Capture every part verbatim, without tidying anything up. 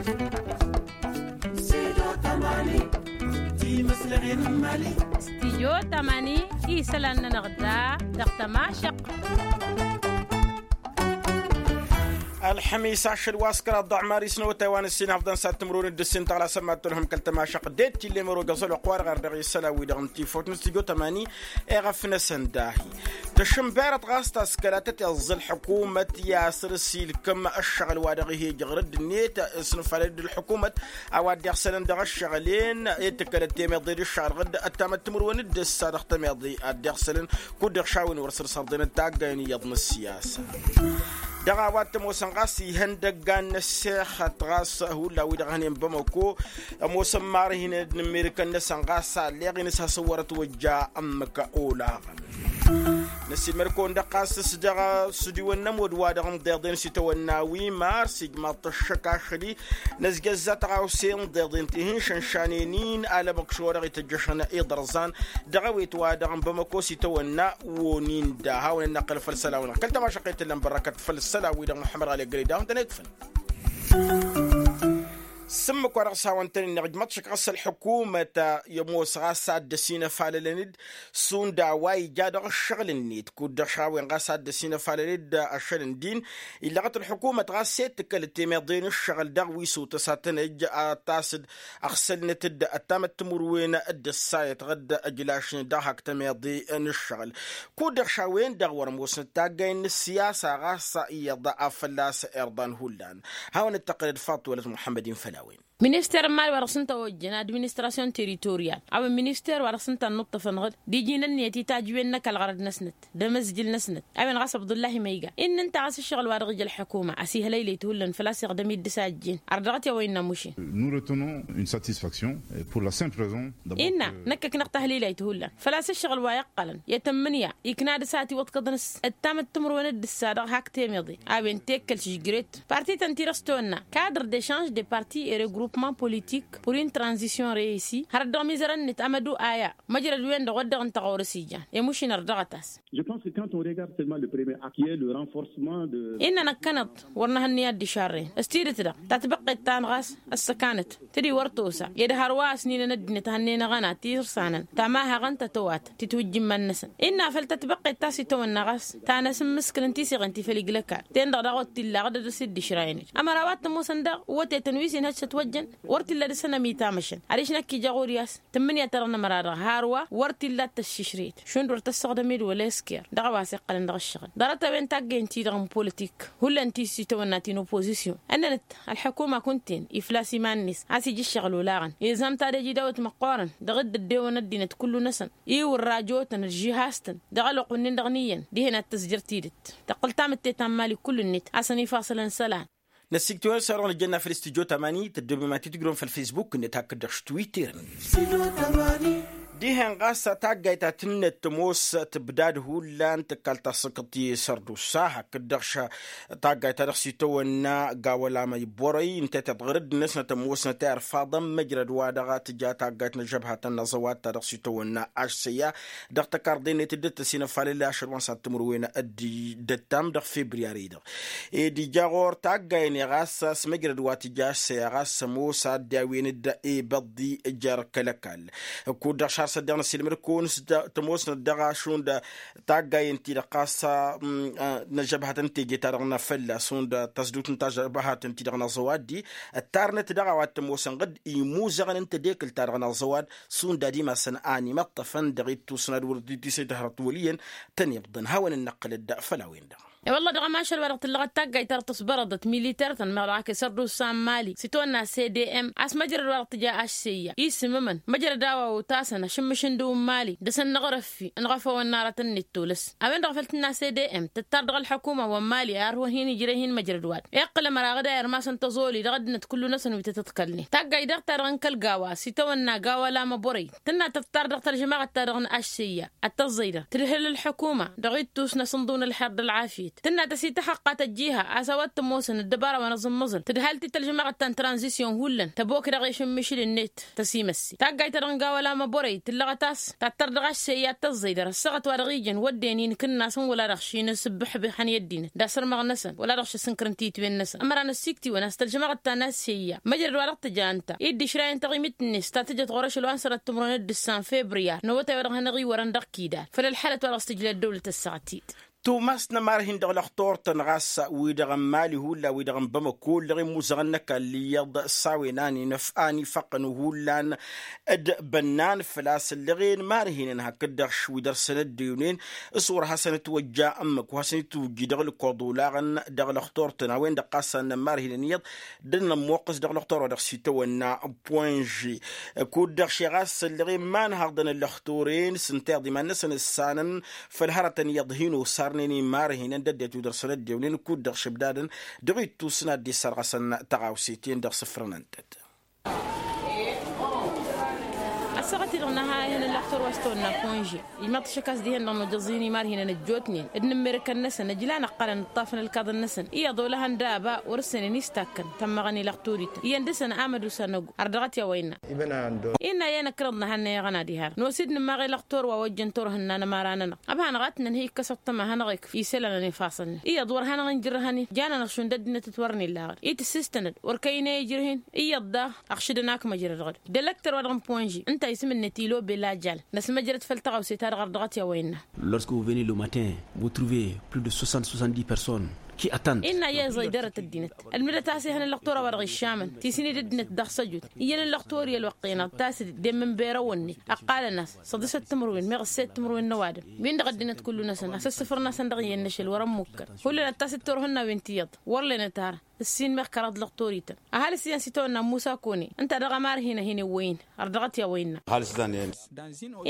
Stidyo tamani, isălan-nănăɣ da dăɣ-tămašăqt. Ălxămis ašăl wa s-kăraḍ ḍuɣ mari s-năwătay wa n-ǝssin hăfḍăn s-ad-tǝmrǝwăn d-ǝssin tăɣla sămmat tălhăm kăl-tămašăqt d-e-t tillem ărogăẓ ălwăqq-wa-dăɣ ar dăɣ-isălan-wi-dăɣ n-tifawt n-stidyo tamani. Eɣăf-năsăn dahi tăšǝnberăt ɣas taskăla tăt-iẓẓǝl ălḥukumăt i-asăr s-ilkăm ăššăɣǝl wa dăɣ-ih ejăɣ rǝdd-net s-nǝfalăd d-ălḥukumăt a-wa dd-iɣsălăn dăɣ-ăššăɣǝl-en. Ed tǝkkălăt temeḍe d-ǝššăɣǝl ɣǝd ăttamăt timǝrwen d-ǝssa dăɣ-temeḍe ad-dd-iɣsălăn kud-dăɣ šawen wăr săr-sărḍenăt taggayăn iyyăḍ n-ăssiyasa. Dăɣ-a-wa t-ămoosăn ɣas ihăndăggan n-ăssexăt ɣas hullan wi-dăɣ hănen bamăko ămoosăn marhin d-inǝmmirǝkăn-năsăn ɣas alleɣ-in s-hasăn wăr-ătwăjja ǝmmǝk olaɣăn. Năsiilmăd-kăwăn-dăɣ ɣas s-dăɣ s-udiwăn n-ămodd wa dăɣ-n ḍeḍen s-itawănna wi mars ijmaḍ-t ăššăk ašăl-i năzjăzza tăɣawse n-ḍeḍen tihin šănšanen-in alămăkš wa dăɣ-ităjjăšăn iḍărẓan dăɣ-ewet wa dăɣ-n bamăko s-itawănna. Wonin da hawăn-ănnăqqǝl făll-isălan-wi-dăɣ kăl-tămašăqqet tǝllăn bărrăkăt făll-isălan-wi-dăɣ muḥămmăd ɣali ăgg-ălidahun tănekfăn. S-ǝmmǝk wa dăɣ-s hawăn-tăn-innăɣ ǝjmăḍ šik ɣas ălḥukumăt i-ămoos ɣas ad-dăr-s inăfalălăn-dd šund a-wa ija dăɣ-ǝššăɣǝl-net kud-dăɣ šawen ɣas ad-dăr-s inăfalălăn-dd ašăl n-din. Illăɣăt ălḥukumăt ɣas s-e-d tǝkkălăt temeḍe n-ǝššăɣǝl dăɣ-wi s-otăs ad-tăn-ăj ad-tas-dd ăɣsălnăt-dd ăttamăt timǝrwen d-ǝssayăt ɣǝd ăjlašnen dăɣ-hak temeḍe n-ǝššăɣǝl. Kud-dăɣ šawen-dăɣ wăr-ămoosnăt taggay n-ǝssiyasa ɣas iyyăḍ a fălla-s irḍan hullan. Hawăn-dd-tăqqǝlăd faḍt wălăt muḥămmăd-in făll-a-wen. Minister n-imali wa dăɣ-s ǝnta ojjăn administrasyon teritoriyal a-wen minister wa dăɣ-s ǝnta ănnuṭṭăfăn ɣǝd d-iji n-ǝnniyăt itajwen n-ăkall ɣărăd-năsnăt d-emăzjǝl-năsnăt. A-wen ɣas abdullahi ma iga innă ǝnta ɣas ǝššăɣǝl wa dăɣ-ija ălḥukuma a-s ihălăylăy-t hullan făl-a-s iɣdăm-dd s-a ăjjeen ărdăɣăt i-a-wa innă mušin. Nous retenons une satisfaction pour la simple raison. Innă năkkăknăɣ tahlilayt hullan făl-a-s ǝššăɣǝl wa iqqălăn i-tămmǝnǝya ikna dăr-s a ătiwăḍkăḍăn s-ǝttamăt timǝrwen d-ǝssa dăɣ-hak temeḍe a-wen tekkăl s-ǝžjret. Parti-tăn-ti-dăɣ s-tăwănna cadre de change de parti et regroupement politique pour une transition reussie hărăt dăɣ-mizărăn-net amădu aya măjrăd-wen-dăɣ wăr dăɣ-ǝnta ɣur-s ijan i-mušin ărdăɣăt-as. Je pense que quand on regarde seulement le premier acte qui est le renforcement de. Innă năkkăneḍ wăr nǝhǝnnǝy ad-dd-išarrăyăn s-tidǝt-dăɣ tatbăqqet ta n-ɣas ăssăkanăt tǝdǝy wăr tosa ed hărwa ăsninăn ăddinăt hănnen aɣăna tisǝrsanăn tamahăɣăn tătăwatăn titwǝjja iman-năsăn. Innă făl tatbăqqet ta s-itawănna ɣas ta n-asǝmmǝskǝl n-tisiɣen ti făll-iglăkal ten-dăɣ daɣ wăr t-illa ɣǝdăd s-dd-išrayăn-dd ămăra wa t-ămoosăn daɣ wătetăn wi s-inhăj s-ătwăjjăn wăr t-illa dăr-săn ămitamăšăn adiš năkk ija ɣur-i a-s tǝmmǝnǝya ta dăɣ-nămăra dăɣ-hărwa wăr t-illa ad-tăššišrăyăt šund wăr tăssăɣdăm-dd wăla esker dăɣ-a-wa s-iqqălăn dăɣ-ǝššăɣǝl ḍarăt-a-wen taggăyăn-ti-dăɣ n-politik. Hullan ti s-itawănna ti n-oppozisyon ănnănăt ălḥukuma kunta-en ifla s-iman-net a-s ija ǝššăɣǝl olaɣăn izam tadej idawăt măqqoorăn dăɣ-dd-ăddewăn ăddinăt kullu-năsăn iwǝrrajotăn d-žihas-tăn dăɣ-ălwăqq-wǝnnin-dăɣ n-iyyăn dihen ad-tăzjăr tidǝt tăqqǝl tamǝtte ta n-imali kullu-net a-s ănifaṣălăn isălan. Năssiktǝwăn s-a-dăɣ nǝjjănna făll-studyo tamani tăddobem ad-t-tǝjrǝwăm făll-facebook-net hakd-dăɣ s-twitter-net. Dihen ɣas taggayt ta tǝnnăt tămoos tǝbdad hullan tǝkkal tasǝkǝḍt i-sărdusa hakd-dăɣ taggayt ta dăɣ-s itawănna gawăl amăybărăy ǝnta i-tăḍɣărăd-năsnăt ămoosnăt i-ărfaḍăn măjrăd wa dăɣ-tǝja taggayt n-ăžžăbhatăn n-aẓăwad ta dăɣ-s itawănna aššăyya dăɣ-tăkarḍe-net dd-tăsinăfalăl ašăl wa n-sad-timǝrwen d-ǝttam dăɣ-febriyari-dăɣ. Ed ija ɣur-taggayen i-ɣas s-măjrăd wa tǝja aššăyya ɣas ămoos ad-dd-awen-dd ibăḍḍi jer-kăl-ăkall. Kud-dăɣ šarsăt dăɣ-năsilmăd-kăwăn s-tămoosnăt dăɣ-ašund taggayen-ti-dăɣ ɣas n-ažăbhătăn teje-ta-dăɣ n-afălla šund tăsdut n-tažăbhătăn-ti-dăɣ n-aẓăwaddi ǝttarnăt dăɣ-a-wa t-ămoosăn ɣǝd imuzăɣăn n-tedekǝlt-ta-dăɣ n-aẓăwad šund ad-imasăn a ănimăṭṭăfăn dăɣ-ittus n-ad-wăr dd-tisăjdăhrăt wăl' iyyăn tăn-ibḍăn hawăn-dd-năqqǝlăd făll-a-wen-dăɣ. I-wălla dăɣ-ămašal wa dăɣ-tǝllăɣăt taggayt ta dăɣ-tǝsbărăḍăt militer-tăn meɣ dăɣ-ak isărdusa n-imali s-itwănna cdm a-s măjrăd wa dăɣ-tǝja aššăyya isǝmmǝmăn măjrăd a-wa otasăn ašǝmmǝš n-dăw n-imali dăr-săn năɣrăffi ănɣăfăwăn n-aratăn-net tolăs. A-wen-dăɣ făl tǝnna cdm tăttar dăɣ-ălḥukuma wa n-imali a ărwăn hin-ijrăy hin-măjrăd wa-dăɣ iqqǝl ămăra ɣǝd a irmasăn tăẓoli dăɣ-ăddinăt kullu-năsăn wi tăt-ăḍkălnen taggayt daɣ-ta-dăɣ n-kăl-gawa s-itawănna gawa lamăbărăy tǝnna tăttar dăɣ-tălžămaɣăt-ta-dăɣ n-aššăyya ad-tăẓẓăy dăɣ-tǝdhǝl ălḥukuma dăɣ-ittus n-asǝnḍǝw n-ălxer d-ălɣafyăt. tǝnna tăsităxăqqat ăjjiha a-s a-wa t-ămoosăn ăddăbara wa n-aẓǝmmăẓǝl tǝdhal ti tălžămaɣăt ta n-tranzisyon hullan tăbokdăɣ i-ašǝmmišǝl-net. Tăsimăssi taggayt ta dăɣ-nǝga wăla măbărăy tǝllăɣăt a-s tattăr dăɣ-ašseyya tăẓẓăy dăr-ăssaɣăt wa dăɣ-ijăn wădden inkǝnna-săn wăla dăɣ-šinǝsǝbbǝḥ bihăn i-ăddinăt d-asărmăɣ-năsăn wăla dăɣ-šăsǝnkărăn titwen-năsăn ămăra n-ăssiktǝwăn a-s tălžămaɣăt ta n-aseyya măjrăd wa dăɣ-tǝja ǝnta i-dd-išrayăn taɣimit-net ta tǝjăt ɣur-ašăl wa n-sănat timǝrwen d-ǝssan febriya n-awătay wa dăɣ-hanăɣ-iwărăn dăɣ-kidal făll-ălxalăt wa dăɣ-s tǝjla ăddăwlăt ăssaɣăt-dd. Tumas n-ămarhin dăɣ-lăxtur-tăn ɣas wi-dăɣ n-mali hullan wi-dăɣ n-bamăko ǝllăɣen muzăɣăn n-ăkall iyyăḍ s-a-wen a n-inăf a n-ifaqqăn hullan d-bănnan făl-a-s ǝllăɣen marhinăn hakd-dăɣ wi dăr-săn ăddewnen s-wăr hasăn-ătwăjja ǝmmǝk wa hasăn-itwǝjji dăɣ-lăkoḍ olaɣăn dăɣ-lăxtur-tăn a-wen-dăɣ ɣas a ǝnnăn marhinăn iyyăḍ dd-nămmuqqǝs dăɣ-lăxtur wa dăɣ-s itawănna. Poinže kud-dăɣ šeɣ a-s ăllăɣen ma n-haḍăn ăllăxturen s-ǝnta iyyăḍ iman-năsăn ǝssanăn făll-hărătăn iyyăḍ hin-osarnen imarhinăn d-ăddinăt wi dăr-săn ăddewnen kud-dăɣ šăbdadăn dăɣ-ittus n-ad-dd-issărɣăsăn tăɣawse-ten-dăɣ sǝfrănăn-tăt. Ăssaɣăt-i-dăɣ năha ihăn ăllăxtur wa s-tawănna poinže ijmaḍ-t ašăk a-s dihen-dăɣ nojăẓ-in imarhinăn ăjjootnen d-inǝmmerǝkăn-năsăn ǝjlan ăqqălăn ǝṭṭafăn ǝlkaḍăn-năsăn iyyăḍ olăhăn daba wăr-ǝssănen istakkăn tămmăɣăn ilăxturi-tăn iyyăn dăr-săn amădusa n-ăggu ardăɣăt i-a-wa innă. Innă i-năkkăneḍ năhannăyăɣăn ad-iharăn nosǝd nǝmmaɣ ilăxtor wa ojjăn turhǝnna n-ămăra-nănăɣ ăbhan ɣatnăn hi-ikkăs ăṭṭăma ad-hanăɣ-ikf isălan ănifaṣăn-net iyyăḍ wăr hanăɣ-injǝrrăhăn-in jan-anăɣ šund ăddinăt t-wăr n-illa aɣăd i-tǝssǝstănăd wăr kăy-inăy ijrǝh-in iyyăḍ daɣ ăɣšǝdăn akmăjrăd ɣǝd. D-elăktăr wa dăɣ-n ponži ǝnta a isǝm-net ilo bela jal năsmăjrăd făll-tăɣawse-ta-dăɣ ardăɣăt i-a-wa innă. Lorsque vous venez le matin vous trouvez plus de soixante soixante-dix personnes qui attendent. Innă i-eẓăy dăr-t ăddinăt ălmǝdăt a-s ihăn ăllăxtor a-wa dăɣ-iššamăn tisǝnid ăddinăt dăɣ-săjut iyyăn ăllăxtor i-ălwăqqen ăṭṭas-dd d-e-mǝnbera wănne ăqqalăn-as săḍǝsăt timǝrwen meɣ ǝsset timǝrwen n-ăwadǝm-win-dăɣ ăddinăt kullu-năsăn a-s ăssǝfrăn-asăn dăɣ-iyyăn n-ašăl wăr ămmukkăn. Hullan ăṭṭas d-turhǝnnawen ti iyyăḍ wăr lenăt ara ǝssin meɣ kăraḍ lăxtor-ităn. Ăhalǝs iyyăn s-itawănna n-musa kone ǝnta dăɣ-ămarhinăh-in ewwăy-in ărdăɣăt i-a-wa innă.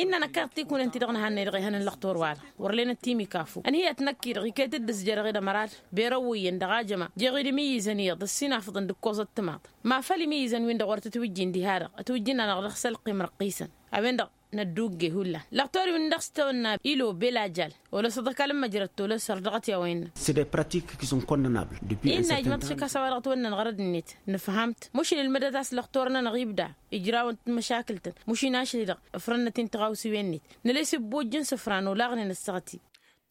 Innă năkkeḍ tikunăn-ti-dăɣ nǝhannăy dăɣ-ehăn n-lăxtor-wa-dăɣ wăr lenăt timikafu ănhǝyăt năkk-i-dăɣ iket-dd ǝzjărăɣ-dd ămăra-dăɣ. Berăwwăyyăn dăɣ-ajăma jeɣ-dd imǝyyǝzăn iyyăḍ ǝssin afǝḍăn d-ǝkkoẓăt timaḍ ma făl imǝyyǝzăn-win-dăɣ wăr tǝtwǝjjin diha-dăɣ ǝtwǝjjǝn-anăɣ dăɣ-sălqim răqqisăn. A-wen-dăɣ nădduggey hullan lăxtor-wi n-dăɣ s-tawănna ilo bela jal. Wăla s-ăḍăkal n-măjrăd tolăs ărdăɣăt i-a-wa innă. Innă ijmăḍ šăkk a-s a-wa dăɣ-tawănnăn ɣărăd-net nǝfham-t mušin ǝlmǝdăt a-s lăxtor-nănăɣ ibda ijrawăn-t măšakǝl-tăn mušin ašăl-i-dăɣ ǝfrănnăt-in tiɣawsiwen-net. Nălesǝbbojjăn sǝfran olaɣnen ăssaɣăt-i.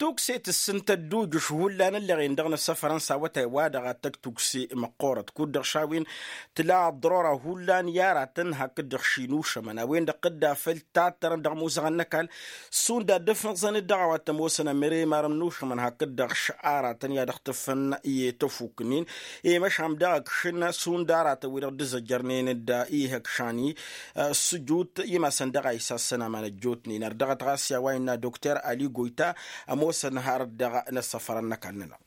Tukse tǝssǝn tăddujǝš hullan ǝllăɣen dăɣ-năssăfărăn s-awătay-wa-dăɣ ad-tăj tukse măqqoorăt kud-dăɣ šawen tǝla ăḍḍărora hullan i-aratăn hakd-dăɣ ši n-ušămăn a-wen-dăɣ tǝdda făll-tattărăn dăɣ-imuzăɣăn n-ăkall. Šund ad-dd-ăfnăẓăn-dd dăɣ-a-wa t-ămoosăn ămăre imarăn n-ušămăn hakd-dăɣ š-aratăn i-ad-ăɣtǝfăn i-tăfuk-nin i-măšan dăɣ-ăkšăn šund aratăn wi-dăɣ dd-ǝzzăjjărnen d-ihăkšan-i. Ăssǝjut i-masăn dăɣ-a isassăn aman ăjjootnen ărdăɣăt ɣas i-a-wa innă dokter ali goyta ămoosăn har dăɣ-inăssăfărăn n-ăkall-nănăɣ.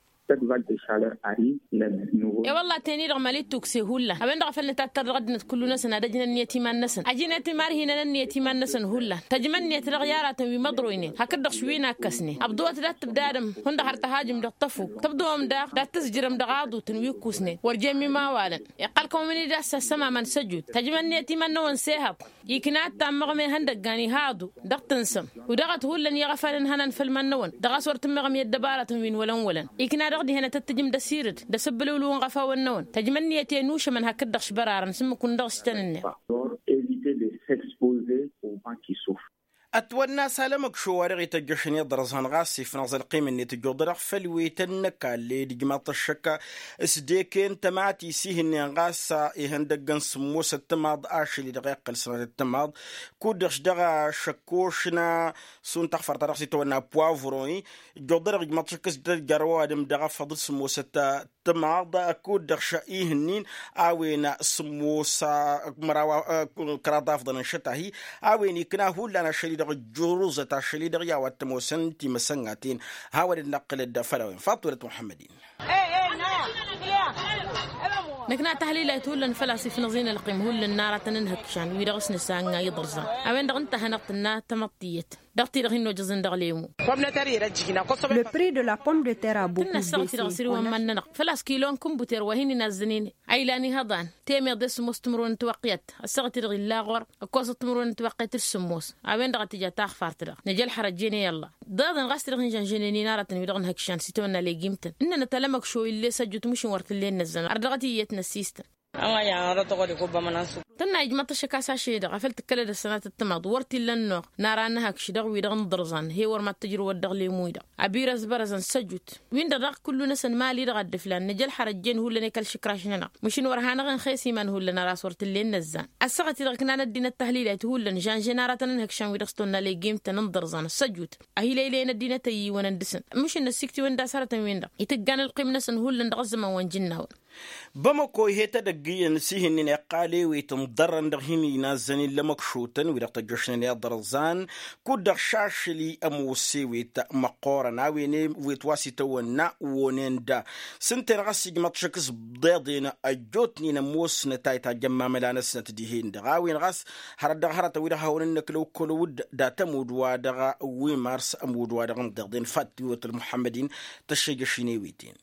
I-wălla teni-dăɣ mali tukse hullan a-wen-dăɣ a făl nǝtattăr dăɣ-ăddinăt kullu-năsăn ad-ăjnăn ǝnniyăt iman-năsăn ăjnăt imarhinăn ǝnniyăt iman-năsăn hullan. Tăjmăn ǝnniyăt dăɣ-i aratăn wi măḍroynen hakd-dăɣ š-wi n-akkăsnen ăbḍăwăt dat-tǝbdadăm hundăɣ har tăhajǝm dăɣ-tăfuk tǝbḍăwăm daɣ dat-tǝzjǝrăm dăɣ-aḍutăn wi ǝkkusnen wăr jen mi mawalăn. Iqqăl-kăwăn-dd a-s ăssămamăn s-ăjut tăjmăn ǝnniyăt iman-năwăn s-ehăḍ. Ikna ad-tammăɣme ihăndăggan iha-aḍu dăɣ-tǝnsăm. U-dăɣ ad-t-hullan i-iɣăfan ǝnhănan făll-iman-năwăn dăɣ-a-s wăr tǝmmeɣăm i-ăddăbaratăn wi n-wălăn-wălăn. Ikna dăɣ-dihen ad-tăt-tǝjǝm d-asirǝd d-asǝbbǝlǝwǝlǝw n-iɣăfawăn-năwăn tăjmăn ǝnniyăt i-ănušămăn hakd dăɣ-išbărarăn s-ǝmmǝk-wǝn dăɣ-s tăn-ǝnneɣ. Ătwănna a-s alămăkšo wa dăɣ-ităjjăšăn iḍrăẓăn ɣas ifnăẓ ălqim-net ǝjjuḍădăɣ făll-wetăn n-ăkall ed ǝjmaḍ-t ăššăk s-deken tămatis ihǝnnen ɣas ihăndăggăn sǝmmosăt timaḍ ašăl-i-dăɣ iqqăl sănatăt timaḍ. Kud-dăɣ šăkkošna šund taɣfărt-ta-dăɣ s-itwănna poivron-i ǝjjuḍădăɣ ǝjmaḍ-t ăššăk s-dd-ăjjăr ăwadǝm dăɣ-afăḍ d-sǝmmosăt timaḍ. Kud-dăɣ š-ihǝnnin a-wen sǝmmos măraw kăraḍ afḍăn n-išăt-ahi. A-wen ikna hullan ašăl-i-dăɣ ǝjjuruzăt ašăl-i-dăɣ i-a-wa t-ămoosăn timăsăngaten. Hawăn-dd-năqqǝlăd făll-a-wen faḍt wălăt muḥămmăd-in. Năkna tahlilayt hullan făl-a-s ifnăẓ-in ălqim hullan n-aratăn n-ihǝkšan wi-dăɣ s-nǝsanga iḍrǝẓan. A-wen-dăɣ ǝnta a hanăɣ-tǝnna tamăḍt tiyyăt. dăɣ-ti-dăɣ hin-nojăẓăn dăɣ-lemu. Le prix de la pomme de terre a beaucoup baissé. Tǝnna ăssaɣăt-i-dăɣ sirǝwăn iman-nănăɣ făl-a-s kilon kǝnbuter wa hin-inazzănen. A ilan ihăḍan temeḍe s-sǝmmos timǝrwen n-tiwăqqiyăt. Ăssaɣăt-i-dăɣ illa ɣur-ăkkoẓăt timǝrwen n-tiwăqqiyăt d-sǝmmos. A-wen-dăɣ a tǝja taɣfart-dăɣ nǝja ălxărăt jene i-ălla. Ḍeḍen ɣas-t-dăɣ hin-žănžănen-in aratăn wi-dăɣ n-hăkšan s-itawănna legimtăn ǝnnănăt alămăkšo ill'-e s-ăjjut mǝšǝn wăr t-illa ennăzzăn ardăɣăt iyyăt n-ăssistăn. Tǝnna ijmăḍ-t ăššăk a-s ašăl-e-dăɣ afăl tǝkkălăd ăssănatăt timaḍ wăr t-illa ănnuɣ n-ara n-hăkš dăɣ-wi-dăɣ n-iḍărẓan he-wăr mad-tǝjrǝwăt dăɣ-lemu-i-dăɣ. Abirăzbărăzăn s-ăjut win-dăɣ daɣ kullu-năsăn mali-dăɣ a dd-ǝflan nǝj ălxărăt jen hullan i-kăl-išǝkraš-nănăɣ. Măšin wăr hanăɣ-inxes iman hullan ăras wăr t-illa ennăzzan. Ăssaɣăt-i-dăɣ ǝknan ăddinăt tahlilayt hullan žănžen aratăn n-hăkšan wi-dăɣ s-tonna legimtăn n-iḍărẓan s-ăjut. Ahilăylăyăn ăddinăt ăyyiwăn n-dăɣ-săn. Măšin năssiktǝwăn d-asărătăn-win-dăɣ itǝggan ǝlqim-năsăn hullan dăɣ-ăzzăman wa n-jǝnnawăn. Bamăko ih'-e tedăgg iyyăn s-ih'-ǝnnin iqqal ewet n-iḍarrăn dăɣ-hin-inazzăn illăm ăkšotăn wi-dăɣ tăjjošnen iḍărẓan. Kud-dăɣ šašli ămoos ewet măqqoorăn a-wen ewet wa s-itawănna wonen da. S-ǝnta-en ɣas ijmăḍ šăkk s-ḍeḍen ăjjootnen ămoosnăt a itajjăn mamăla-năsnăt dihen-dăɣ a-wen ɣas hărăt dăɣ-hărătăn wi-dăɣ hawăn-innăkla okkolăwăd. Dat-ămudd-wa-dăɣ wi mars ămudd-wa-dăɣ n-ḍeḍen fat tiwăt ălmuḥămmăd-in tăššejăš-in ewet-en.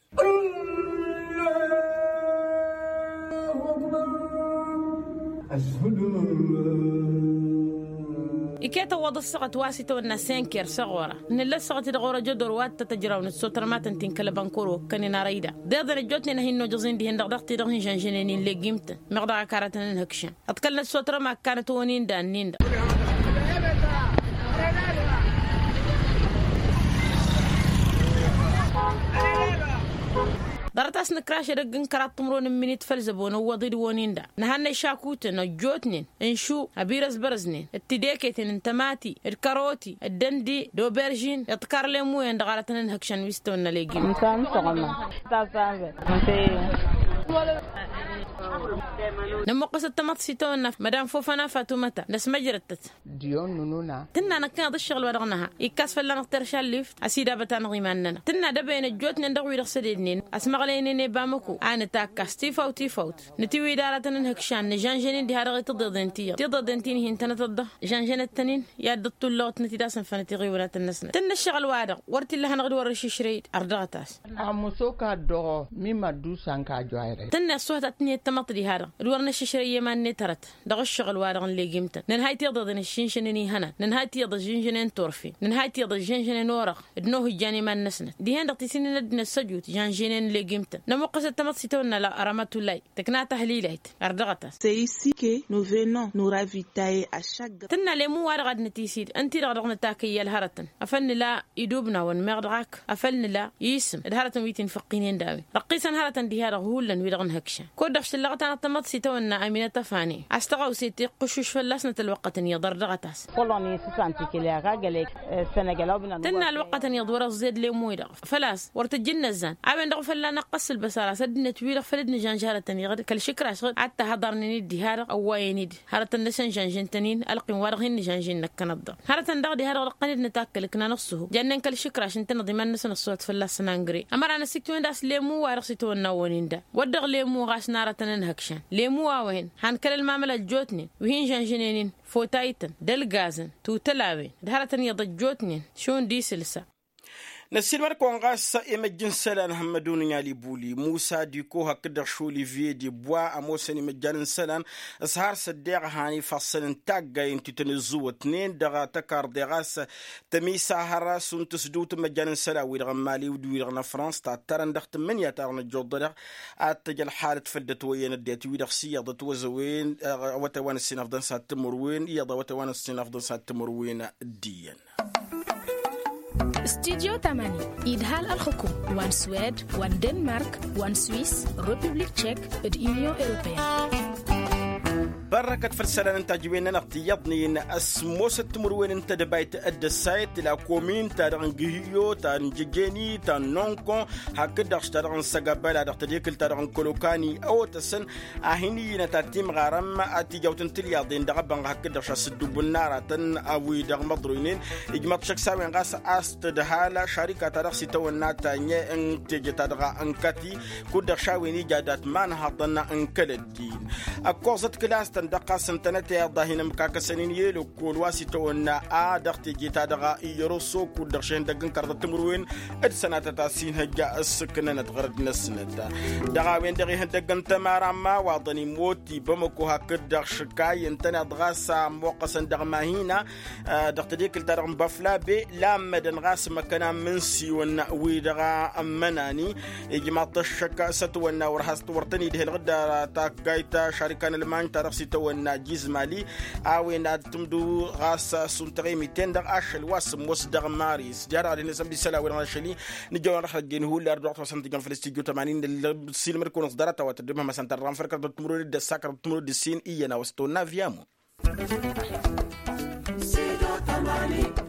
Iket ăwwăḍ ăssaɣăt wa s-itawănna senker s-ăɣora nǝlla ăssaɣăt-i-dăɣ orăjădor wa t-tăjraw nǝssotărămatăn ti n-kăl-ăbănkăro ǝkkănen arăy-da. Deḍen ăjjootnen a hin-nojăẓ-in dihen-dăɣ daɣ-ti-dăɣ hin-žănžănen inleg imtăn meɣ dăɣ-ak aratăn n-hăkšan. Ăḍkălnăt s-otărăm akkanăt onin da ǝnnin-dăɣ. Ḍarăt-as nǝkraš edăgg n-kăraḍ timǝrwen n-iminit făll-zăbo nǝwwăḍ-dd wonin da nǝhannăy šakuten ăjjootnen, n-šu ăbirăzbărăznen d-tideketen n-tămati d-kăroti d-dăndi d-oberžin d-tikarlemuyen dăɣ-aratăn n-hăkšan wi s-tăwănna legim. Nămmuqqăsăt tamăḍt s-itawănna madam fofăna fatumăta năsmăjrăttăt. Tǝnna năkkăneḍ ǝššăɣǝl wa dăɣ-nǝha ikkas fălla-năɣ terša n-lift. Ăsidabăt-anăɣ iman-nănăɣ tǝnna dăbăyăn ăjjootnen dăɣ-wi-dăɣ sădednen ăsmăɣlăynen i-bamăko a nǝtakkas tifawt tifawt. Nǝtiwǝy d-aratăn n-hǝkšan nǝžănžăn-in diha-dăɣ i-tiḍeḍen ti iyyăḍ tiḍeḍen ti n-hin-tănătăt-dăɣ žănžănăt-tăn-in. I-ad-dd-tulluɣăt năt-dd-asǝnfănăt iɣiwǝnatăn-năsnăt tǝnna ǝššăɣǝl-wa-dăɣ wăr t-illa hanăɣ-dd wăr-ăššǝšrăy-dd. Ărdăɣăt-as. Ămoos okk a ăddoɣ mimăddu s-ănkajwayre. Tǝnna ăṣṣuhăt ad-tǝnhǝyăt tamăḍt diha-dăɣ d-wăr n-ăššǝšrăy i-iman-net hărăt. Dăɣ-ǝššăɣǝl-wa-dăɣ n-legimtăn nǝnhăy tiḍeḍen ăššinšănen ihănan nǝnhăy tiḍeḍen ăššinšănen turfen nǝnhăy tiḍeḍen ăššinšănen orăɣ. D-inohǝjjan iman-năsnăt dihen-dăɣ tisǝnnin ad-dd-năssăjut žănžănen n-legimtăn nămuqqăsăt tamăḍt s-itawănna la rămătulay. Tǝkna tahlilayt ărdăɣăt-as. Săyisike novenăn noravitaye ašagg. Tǝnna lemu-wa-dăɣ ad-nătisid ǝnta-i-dăɣ dăɣ-nǝtakăy i-ălhărătăn afăl nǝla idubnawăn meɣ dăɣ-ak afăl nǝla isǝm d-hărătăn wi t-infăqqinen d-a-wen răqqisăn hărătăn diha-dăɣ hullan wi-dăɣ n-hăkšan. Kud-dăɣ šăllăɣăt-anăɣ tamăḍt s-itawănna aminăt ăfane a-s tăɣawse tiqqǝšuš fălla-snăt ălwăqqătăn iyyăḍ ărdăɣăt-as. Tǝnna ălwăqqătăn iyyăḍ wăr-ăẓẓed lemu-i-dăɣ făl-a-s wăr tǝjj ǝnnăzzan a-wen-dăɣ fălla-năɣ ɣas ǝlbăs ar-as ăddinăt-wi-dăɣ făl dd-nǝžănža hărătăn iɣăd kăl-išǝkraš ad-t-ăhăḍărnen-dd diha-dăɣ ăwwayăn-dd. Hărătăn-năsăn žănžǝn-tăn-in ălqim-wa-dăɣ hin-nǝžănžǝn năkkănăt-dăɣ hărătăn daɣ diha-dăɣ dăɣ-tăn-dd-nǝtakkăl ǝknan ăṣṣuhu jannen kăl-išǝkraš ǝntăneḍ iman-năsăn ăṣṣuhăt fălla-săn angre. Ămăra n-ăsiktiwen d-ass lemu-wa-dăɣ s-itawănna a-wen-in da wăr dăɣ-lemu ɣas n-arătăn n-hăkšan lemu a-wen han kăl-ălmamăla ăjjootnen wi hin-žănžănen-in fotaytăn d-ălgazăn tutăl a-wen d-hărătăn iyyăḍ ăjjootnen šund isǝlsa. Năssiilmăd-kăwăn ɣas imăjj n-isălan hămmădun n-alibuli musa diko hakd-dăɣ šoliviye dibwa ămoosăn imăjjan n-isălan. S-har s-ăddeɣ a han ifassăn n-taggay n-tităn ǝzzǝwătnen dăɣ-tăkarḍe ɣas tămisa hărăs unta s-dăw-tǝmmăjjan n-isălan-wi-dăɣ n-mali d-wi-dăɣ n-afrans tattărăn dăɣ-tǝmmǝnǝya-ta-dăɣ nǝjjuḍădăɣ ad-t-tăj ălxalăt făll-dăt wăyyăn ăddinăt-wi-dăɣ s-iyyăḍ ătwăzăwen. Awătay wa n-ǝssinăfḍăn s-ad-timǝrwen iyyăḍ awătay wa n-ǝssinăfḍăn s-ad-timǝrwen d-iyyăn. Studyo tamani idhal ălxukum wa n-swed wa n-denmark wa n-swis, republik tšek d-unyon europeyăn. Bărrăkăt făll-isălan n-tajǝwen-nănăɣ tiyyăḍnen ăsmosăt timǝrwen n-tedăbayt d-ăssayăt la komin-ta-dăɣ n-gǝhǝyyo ta n-jejeni ta n-nonkon hakd-dăɣ s-ta-dăɣ n-săgabăla dăɣ-tedekǝlt-ta-dăɣ n-kălokani ăwătăsăn a hin-iyyǝnăt ad-timɣarăm ad-tijawt n-tilyaḍen dăɣ-abănɣ hakd-dăɣ šasǝddubǝn n-aratăn a-wi-dăɣ măḍroynen. Ijmăḍ šăkk s-a-wen ɣas a-s tǝdhal šarika-ta-dăɣ s-itawănna ta n-teje ta-dăɣ n-kati kud-dăɣ šawen ija dat-imanhăḍăn n-kăl-ăddin. Ăkkoẓăt kǝlas-tăn dăɣ-ɣas ǝntănăt i-iḍahin ămkakăsăn-in i-ălwăkkol wa s-itawănna a dăɣ-teje-ta-dăɣ. Iyyăr osokul dăɣ-šehăn dăgg-n kărḍăt timǝrwen d-sănatăt a s-inhăjja ǝssǝknănăt ɣărăd-năsnăt. Dăɣ-a-wen-dăɣ ihăndăgg n-tămara n-imawaḍăn immot i-bamăko hakd-dăɣ šǝkay ǝntăneḍ ɣas a ămmoqqăsăn dăɣ-mahina dăɣ-tedekǝlt-ta-dăɣ n-băflabe lammădăn ɣas măkkăna n-imǝnsiwăn wi-dăɣ ămmănani. Ijmaḍ-t ăššăk s-ătwănna wăr has-t wăr tăn-idhel ɣǝddar taggayt tašarikan ălmañ ta dăɣ-s itawănna jizmali a-wen ad-tǝmdǝw ɣas s-untăɣ emiten-dăɣ ašăl wa s-ămoos dăɣ-maris jer-ad-hin-asăn bisăl a-wen-dăɣ n-ašăl-i. Nǝjjăwăn ad-dăɣ-hăjjăyăn hullar d-wa t-wa s-ăntijăn făll-s tijju tămanin. Ǝllăb silmăd-kăwăn s-ḍarăt a-wa tăddǝmhăm a-s ăntăr dăɣ-anfăr kărdăt timǝrwen d-ăssa kărdăt timǝrwen d-ǝssin iyyăn a-wa s-tăwănna viyamu. Sidăw tămani.